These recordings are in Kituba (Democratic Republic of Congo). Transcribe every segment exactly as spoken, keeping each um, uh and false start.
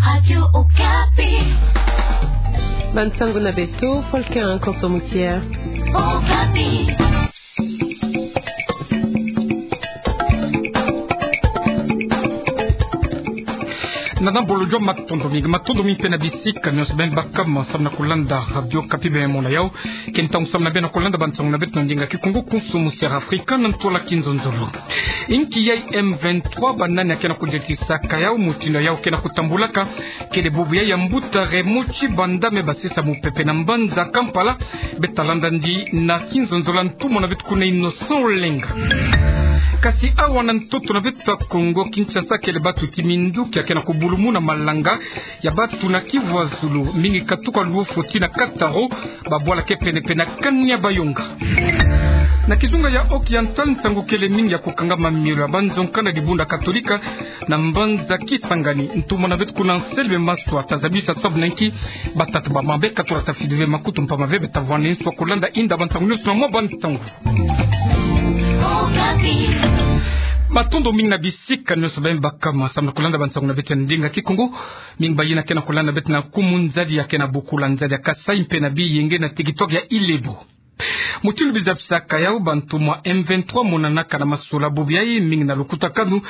Radio Okapi. Bansango na beto, Volcan Konso Mukia. Okapi. Na nambolo jua matondo mingi, matondo mingi mpe na bisika nyonso beno baka mo samu na kulanda Radio Okapi beno mona yau. Ke ntangu samu na beno kulanda bansango na beto na ndinga Kikongo, Konso Musia Afrika, na ntwala Kinzonzolo. Inki yai M vingt-trois, banani akena kudiatisaka yau, mutindu yau kena kutambulaka, kele bubu yai ya mbuta Raymond Tshibanda me basisa mupepe na mbanza Kampala. Beta landa ndi na Kinzonzolo, ntumwa na beto kuna Innocent Olenga. Kasi awa na ntoto na beto ya Kongo Kinshasa, kele batu ti minduki akena kubulumuna malanga ya batu na Kivu ya Zulu, mingi katuka Luofo tii na Kataro, babwala ke pene-pene na kani ya Bayonga. Na kizunga ya Occidental, nsangu kele mingi ya kukangama mielo ya banzonka na dibundu Katolika na mbanza Kisangani. Ntumwa na beto kuna Anselme Maswa ta zabisa sabu na inki batata ba mabe katura ta fidi ve makutu mpamba ve. Beta vwani nswa kulanda inda bansango nyonso na mwa bansango. Matondo mingi na bisika nyonso beno baka mo samu na kulanda bansango na beto ya ndinga Kikongo. Mingi bayina kena kulanda beto na Kumuni, Nzadi akena bokula, Nzadi ya Kasaï mpe na Biyenge na territoire ya Ilebo. Mutindu biza bisaka yau, bantu mwa M vingt-trois monanaka na masola bubu yai, mingi na lukutakanu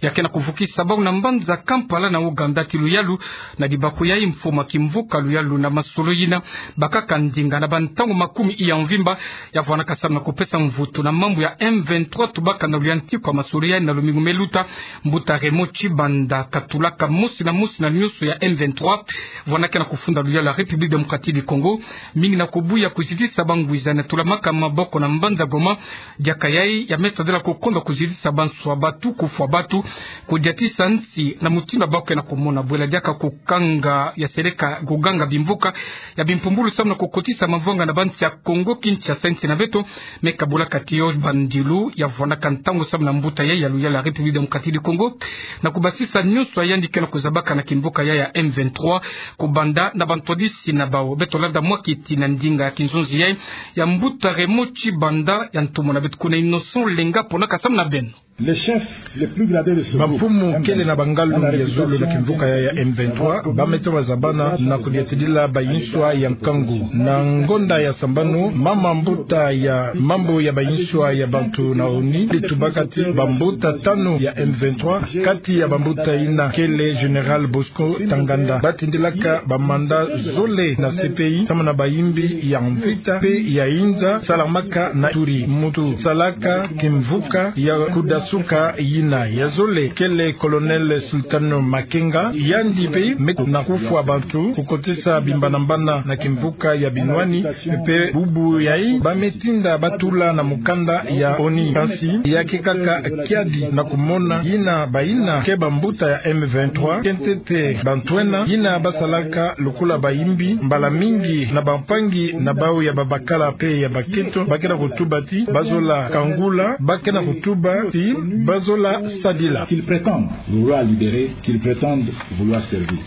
ya kena kuvukisa bau na mbanza Kampala na Ouganda, ti luyalu na dibaku yai, mfumu ya kimvuka luyalu na masolo yina bakaka ndinga na bantangu makumi iya mvimba, ya vwanaka samu na kupesa mvutu na mambu ya M vingt-trois tubaka na luyantiku ya masolo yai na lumingu me luta. Mbuta Raymond Tshibanda katulaka mosi na mosi na nyonso ya M vingt-trois, vwanaka na kufunda luyalu ya République Démocratique du Congo, mingi na kubuya kuzitisa bangwiza na tulamaka maboko na mbanza Goma. Diaka yai ya me tadila kukonda kuzitisa banswa batu, kufwa batu, kudiatisa nsi na mutindu bau kena kumona bwela diaka kukanga ya seleka kuganga bimvuka ya bimpumbulu samu na kukotisa mavanga na bansi ya Kongo Kinshasa, nsi na beto. Me kabula kati yo bandilu ya vwanaka ntangu samu na mbuta yai ya luyalu ya République Démocratique du Congo na kubasisa nyonso ya yandi kena kuzabaka na kimvuka yai ya M vingt-trois, kubanda na bantwadisi na bau. Beto landa mwa kiti na ndinga ya kinzonzi yai ya mbuta Raymond Tshibanda, ya ntomo na beto kuna Innocent Olenga ponaka samu na beno. Les chefs les plus gradés de ce groupe, bamfumu kele na bangalu ya zulu na kimvuka yai ya M vingt-trois, ba me toma zabana na kudiatidila bayinswa ya nkangu. Na ngonda ya sambanu, mama mbuta ya mambu ya bayinswa ya bantu na ONU tubaka ti bambuta tanu ya M vingt-trois, kati ya bambuta yina kele Général Bosco Ntaganda. Ba tindilaka bamanda zole na C P I, samu na bayimbi ya mvita mpe ya inza salamaka na Ituri. Muntu salaka kimvuka ya kudasuka yina ya zole kele Colonel Sultano Makenga, yandi mpe me toma na kufwa bantu, kukotisa bimbanambana na kimvuka ya binwani. Mpe bubu yai ba me tinda ba tula na mukanda ya ONU. Kansi ya ke kaka kiadi na kumona yina bayina ke bambuta ya M vingt-trois, ke ntete bantu ena yina ba salaka lokola bayimbi, mbala mingi na bampangi na bau ya babakala mpe ya bakento, ba kena kutuba ti ba zola kangula, ba kena kutuba ti ba zola sadila. Qu'ils prétendent vouloir libérer, qu'ils prétendent vouloir servir.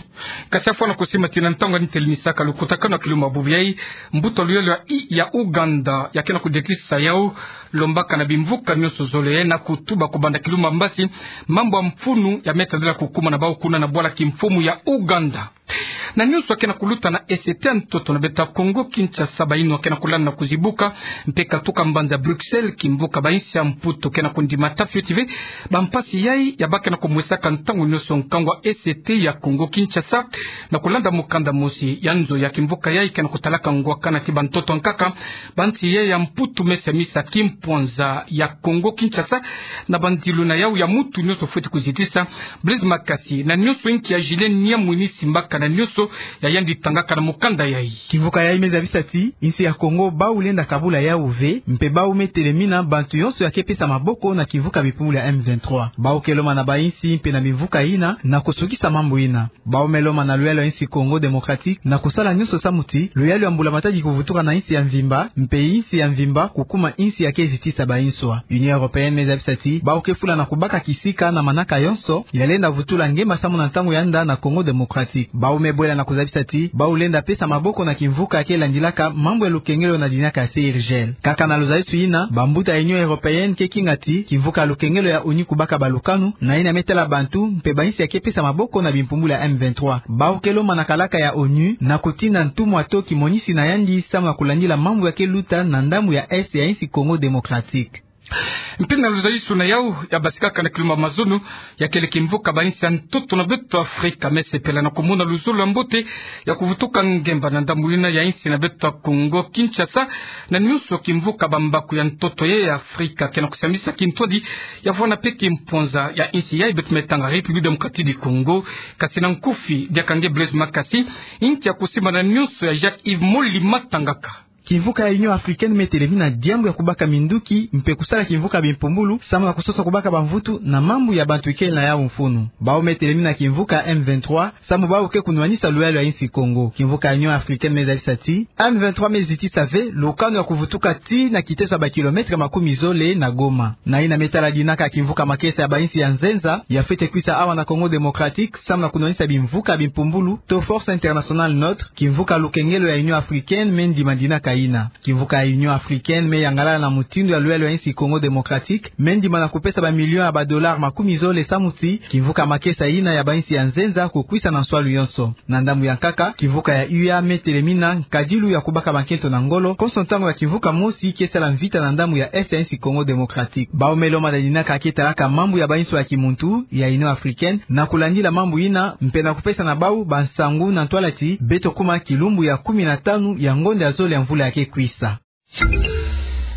Kasi afwana kusima ti na ntangu ya nitelemisaka lukutakanu ya kilumbu bubu yai, mbuta luyalu ya i-, ya Ouganda ya kena kudiatisa yau, lombaka na bimvuka nyonso zole na kutuba kubanda kilumbu mbasi mambu ya mfunu ya me tadila kukuma na bau kuna na bwala kimfumu ya Ouganda. Na nyonso ya kena kuluta na E C T ya ntoto na beto ya Kongo Kinshasa, bayinwa kena kulanda na kuzibuka, mpe katuka mbanza Bruxelles, kimvuka bayinsi ya Mputu kena kundimata fioti ve bampasi yai ya ba kena kumwesaka ntangu nyonso nkangu ya E C T ya Kongo Kinshasa. Na kulanda mukanda mosi ya nzo ya kimvuka yai kena kutalaka ngwakana ti bantoto nkaka, bansi yai ya Mputu me semisa kimpwanza ya Kongo Kinshasa na bandilu na yau ya muntu nyonso fweti kuzitisa. Blaise Makasi, na nyonso inki ya Julien Niamwini simbaka na nyonso ya yandi tangaka na mukanda yai. Kimvuka yai me zabisa ti insi ya Kongo bau lenda kabula yau ve, mpe bau me telemina bantu yonso ya ke pesa maboko na kimvuka bimpumbulu ya M vingt-trois. Bau ke lomana bayinsi mpe na bimvuka yina na kusukisa mambu yina. Bau me lomana luyalu ya insi Congo Démocratique na kusala nyonso samu ti luyalu ya mbula matadi kuvutuka na insi ya mvimba, mpe insi ya mvimba kukuma insi ya ke zitisa bayinswa. Union Européenne me zabisa ti bau ke fula na kubaka kisika na manaka yonso ya lenda vutula ngemba samu na ntangu ya nda na Congo Démocratique. Bau me bwela Na kuzabisa ti bau lenda pesa maboko na kimvuka ke landilaka mambu ya lukengelo na dinaka ya C I R G L. Kaka na luzabisi ina, bambuta ya Union Européenne ke kinga ti kimvuka ya lukengelo ya ONU kubaka balukanu na ina me tala bantu mpe bainsi ya ke pesa maboko na bimpumbulu ya M vingt-trois. Bau ke lomba na kalaka ya ONU na kutinda ntumwa to kimonisi na yandi samu na kulandila mambu ya ke luta na ndambu ya Est ya insi Congo Démocratique. Mpe na luzalisu na yau ya basikaka na kilumba mazono, ya kele kimvuka bainsi ya ntoto na beto Afrika me sepela na kumona luzolo ya mbote ya kuvutuka ngemba na ndambu ina ya insi na beto ya Congo Kinshasa, na nionso kimvuka bambaku ya ntoto ye ya Afrika ke na kusambisa kintwadi ya vwanda mpe kimponza ya insi yai beto me tanga République Démocratique du Congo. Kasi na nkufi, diaka nge Blaise Makasi, inki ya kusimba na nionso ya Jacques Yves Moli Matangaka. Kimvuka ya Union Africaine me telemina diambu ya kubaka minduki mpe kusala kimvuka bimpumbulu samu na kusosa kubaka bamvutu na mambu ya bantu ikele na yau mfunu. Bau me telemina kimvuka M vingt-trois samu bau ke kunwanisa luyalu ya insi Congo. Kimvuka ya Union Africaine me zabisa ti M vingt-trois me zitisa ve lukanu ya kuvutuka tii na kiteso ya bakilometre makumi zole na Goma. Na ina me tala dinaka kimvuka makesa ya bainsi ya nzenza ya fwete kwisa awa na Congo Démocratique samu na kunwanisa bimvuka bimpumbulu to Force Internationale Neutre, kimvuka lukengelo ya Union Africaine me ndima dinaka ina. Kimvuka ya Union Africaine me yangalala na mutindu ya luyalu ya insi Congo Démocratique, me ndima na kupesa bamilion ya badollars makumi zole samu ti kimvuka makesa ina ya bainsi ya nzenza kukwisa na nswalu yonso. Na ndambu ya nkaka, kimvuka ya U A me telemina nkadilu ya kubaka bankento na ngolo konso ntangu ya kimvuka mosi ke sala mvita na ndambu ya Est ya insi Congo Démocratique. Bau me lomba na dinaka ke talaka mambu ya bainsi ya kimuntu ya Union Africaine na kulandila mambu ina mpe na kupesa na bau bansangu na ntwala ti beto kuma kilumbu ya kumi na tanu ya ngonda ya zole ya mvula ya ke kwisa.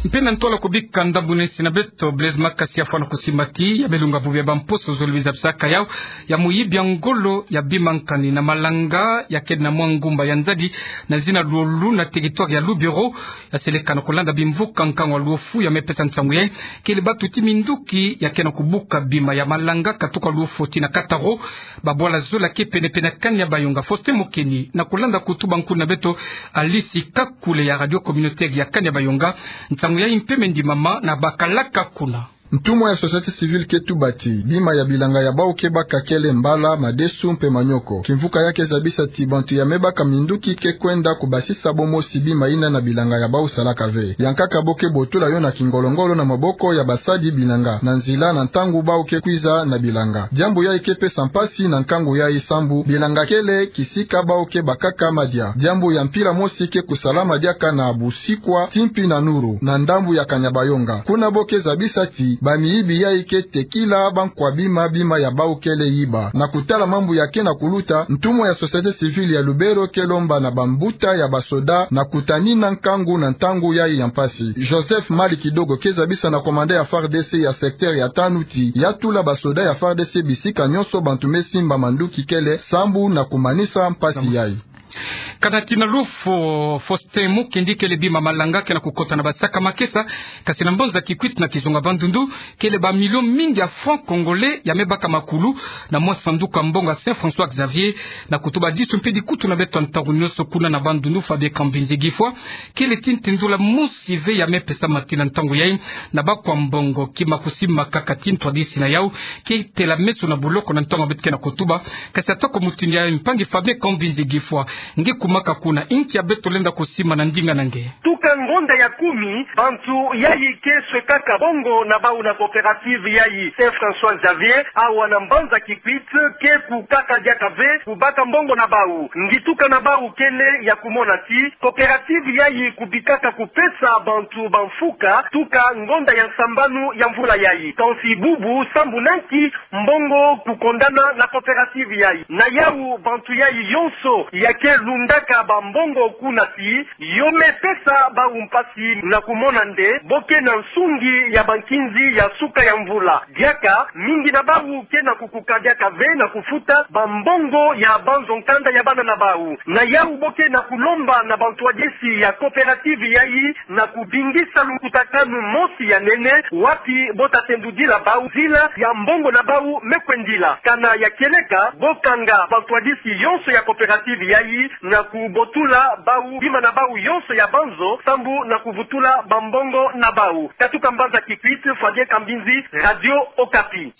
Mpe na ntwala kubika ndambu na insi na beto, Blaise Makasi afwana kusimba ti ya me lunga bubu ya bamposo zole biza bisaka yau ya muyibi ya ngolo ya bima nkani na malanga ya kele na mwa ngumba ya Nzadi na zina Luolu na territoire ya Lubero. Ya seleka na kulanda bimvuka nkangu wa Luofu ya me pesa nsangu yai, kele batu ti minduki ya ke na kubuka bima ya malanga katuka Luofu tii na Kataro. Babwala zola ke pene-pene ya Kanya Bayonga. Faustin Mokeni na kulanda kutuba nkulu na beto Alice Kakule ya Radio Communautaire ya Kanya Bayonga. Nsangu yai mpe me ndimama na bakalaka kuna. Ntumwa ya société civile ke tuba ti bima ya bilanga ya bau ke baka kele mbala, madesu mpe manioko. Kimvuka ya ke zabisa ti bantu ya me baka minduki ke kwenda kubasisa bo mosi bima ina na bilanga ya bau salaka ve. Ya nkaka bo ke botula yo na kingolo-ngolo na maboko ya basadi bilanga na nzila na ntangu bau ke kwiza na bilanga. Diambu yai ke pesa mpasi na nkangu yai sambu bilanga kele kisika bau ke bakaka madia. Diambu ya mpila mosi ke kusalama diaka na Busikwa, Timpi na Nuru, na ndambu ya Kanyabayonga. Kuna bo ke zabisa ti bamiyibi yai ke tekila bankwa bima, bima ya bau kele yiba. Na kutala mambu ya ke na kuluta, ntumwa ya société civile ya Lubero ke lomba na bambuta ya basoda na kutanina nkangu na ntangu yai ya mpasi. Joseph Mali Kidogo ke zabisa na commandant ya F A R D C ya secteur ya tanu ti ya tula basoda ya F A R D C bisika nyonso bantu me simba manduki kele sambu na kumanisa mpasi yai. Kana tii na Luofu, Faustin Mokeni, kele bima malanga ke na kukota na basaka makesa, kasi na mbanza Kikwit na kizunga Bandundu, kele bamilio mingi ya francs congolais ya me baka makulu na mwa sanduku ya mbongo ya Saint François Xavier. Na kutuba disu mpe dikutu na beto ya ntangu nyonso kuna na Bandundu, Fabien Kambinzi Gifwa, kele ti ntindula mosi ve ya me pesama tii na ntangu yai na bakwa mbongo, kima kusimbaka ti ntwadisi na yau ke tela meso na boloko na ntangu beto ke na kutuba. Kasi atako mutindu yai, mpangi Fabien Kambinzi Gifwa, nge kumaka kuna, inki ya beto lenda kusimba na ndinga na nge? Tuka ngonda ya kumi, bantu yai ke swekaka mbongo na bau na coopérative yai Saint François Xavier, awa na mbanza Kikwit, ke kukaka diaka ve kubaka mbongo na bau. Ngituka na bau kele ya kumona ti coopérative yai kubikaka kupesa bantu bamfuka tuka ngonda ya nsambanu ya mvula yai. Kansi bubu sambu na nki mbongo kukondana na coopérative yai? Na yau, bantu yai yonso ya ke lundaka bambongo kuna ti yo me pesa bau mpasi na kumona nde bo ke na nsungi ya bankinzi ya suka ya mvula. Diaka, mingi na bau ke na kukuka diaka ve na kufuta bambongo ya banzo nkanda ya bana na bau. Na yau bo ke na kulomba na bantwadisi ya coopérative yai na kubingisa lukutakanu mosi ya nene, wapi bo ta tendudila bau nzila ya mbongo na bau me kwendila. Kana ya kieleka, bo kanga bantwadisi yonso ya coopérative yai na kubotula bau bima na bau yonso ya banzo sambu na kuvutula bambongo na bau. Katuka mbanza Kikwit, Fabien Kambinzi, Radio Okapi.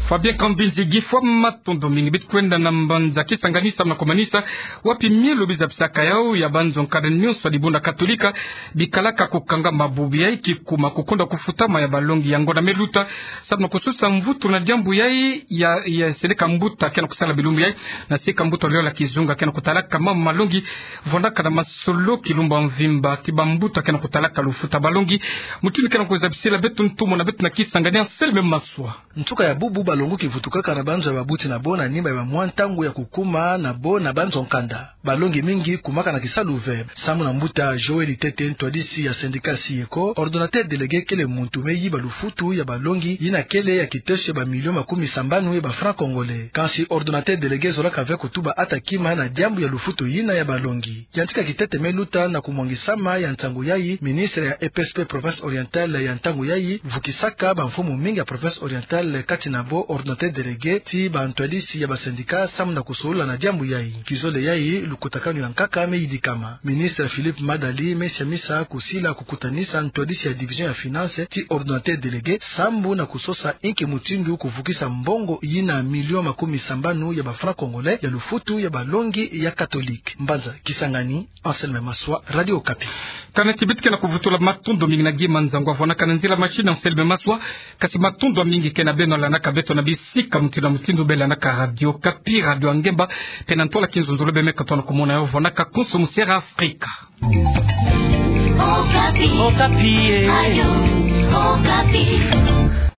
Fabien Kambinzi Gifwa, matondo mingi. Bit kwenda na mbanza Kisangani samu na kumanisa wapi mielo bizapisaka yau ya banzo nkada nyonso ya dibundu Katolika bikalaka kukanga mabubu yai kikuma kukonda kufutama ya balongi. Yango na me luta samu na kusosa mvutu na diambu yai ya, ya seleka mbuta ke na kusala bilumbu yai, na seka mbuta liola kizunga ke na kutalaka mama malongi, vwandaka na masolo kilumbu ya mvimba ti bambuta ke na kutalaka lufuta balongi. Mutindu ke na kuzabisila beto ntomo na beto na Kisangani, Anselme Maswa. Nsuka ya bubu, balongo kivutukaka na banzo ya babuti na bo na nima ya bamwa ntangu ya kukuma na bo na banzo nkanda. Balongi mingi kumaka na kisalu ve. Samu na mbuta Joël Tete, ntwadisi ya syndicat Syeko, ordonnateur délégué kele muntu me yiba lufutu ya balongi yina kele ya kiteso ya bamilio makumi sambanu ya ba francs congolais. Kansi ordonnateur délégué zolaka ve kutuba ata kima na diambu ya lufutu yina ya balongi. Yantika kitete me luta na kumwangisama ya nsangu yai, ministre ya E P S P province orientale ya ntangu yai vukisaka bamfumu mingi ya province orientale, kati na bo ordonnateur délégué ti bantwadisi ya basyndicat, samu na kusolula na diambu yai. Kizole yai, lukutakanu ya nkaka me yidikama. Ministre Philippe Madali me siamisa kusila kukutanisa ntwadisi ya division ya finance ti ordonnateur délégué, samu na kusosa inki mutindu kuvukisa mbongo yina milio makumi sambanu ya ba francs congolais ya lufutu ya balongi ya Katolika. Mbanza Kisangani, Anselme Maswa, Radio Okapi. Kana ti bit ke na kuvutula, matondo mingi na Guy Manzangu avwanaka na nzila machine, Anselme Maswa. Kasi matondo mingi ke na beno landaka beto na bisika mutindu na mutindu be landaka Radio Okapi, radio ya ngemba, pe na ntwala kinzonzolo be me katono kumona yo vwanaka konso mu Sierra Africa. Okapi. Okapi, eh. Radio Okapi.